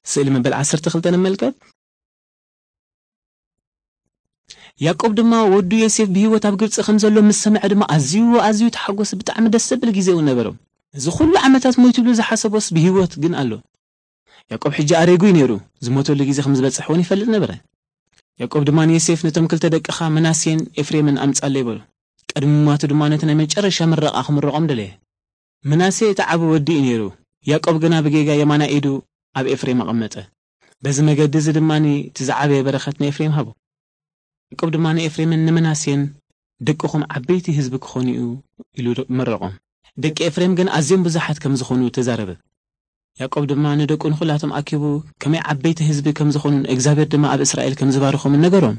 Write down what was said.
ስእሊ መበል ዓሰርተ ክልተ ንመልከት። ያዕቆብ ድማ ወዱ ዮሴፍ ብህይወት ኣብ ግብጺ ከም ዘሎ ምስ ሰምዐ ድማ ኣዝዩ፣ ኣዝዩ ተሓጎሰ። ብጣዕሚ ደስ ዘብል ግዜ እውን ነበሮም። እዚ ኩሉ ዓመታት ሞይትሉ ዝሓሰቦስ ብህይወት ግን ኣሎ። ያዕቆብ ሕጂ ኣሬጉ እዩ ነይሩ። ዝሞተሉ ግዜ ከም ዝበጽሕ እውን ይፈልጥ ነበረ። ያዕቆብ ድማ ንዮሴፍ፣ "ነቶም ክልተ ደቅኻ ምናሴን ኤፍሬምን ኣምጻለይ" በሎ። ቅድሚ ምሟቱ ድማ ነቲ ናይ መጨረሻ ምረቓ ክምርቖም ደለየ። ምናሴ እቲ ዓቢ ወዲ እዩ ነይሩ። ያዕቆብ ግና ብጌጋ የማናይ ኢዱ ኣብ ኤፍሬም ኣቐመጠ። በዚ መገዲ እዚ ድማ እቲ ዝዓበየ በረኸት ንኤፍሬም ሃቦ። ያዕቆብ ድማ ንኤፍሬምን ንምናሴን፣ "ደቅኹም ዓበይቲ ህዝቢ ክኾኑ እዩ" ኢሉ መረቖም። ደቂ ኤፍሬም ግን ኣዝዮም ብዙሓት ከም ዝኾኑ ተዛረበ። ያዕቆብ ድማ ንደቁ ንኹላቶም ኣኪቡ ከመይ ዓበይቲ ህዝቢ ከም ዝኾኑን እግዚኣብሔር ድማ ኣብ እስራኤል ከም ዝባርኾምን ነገሮም።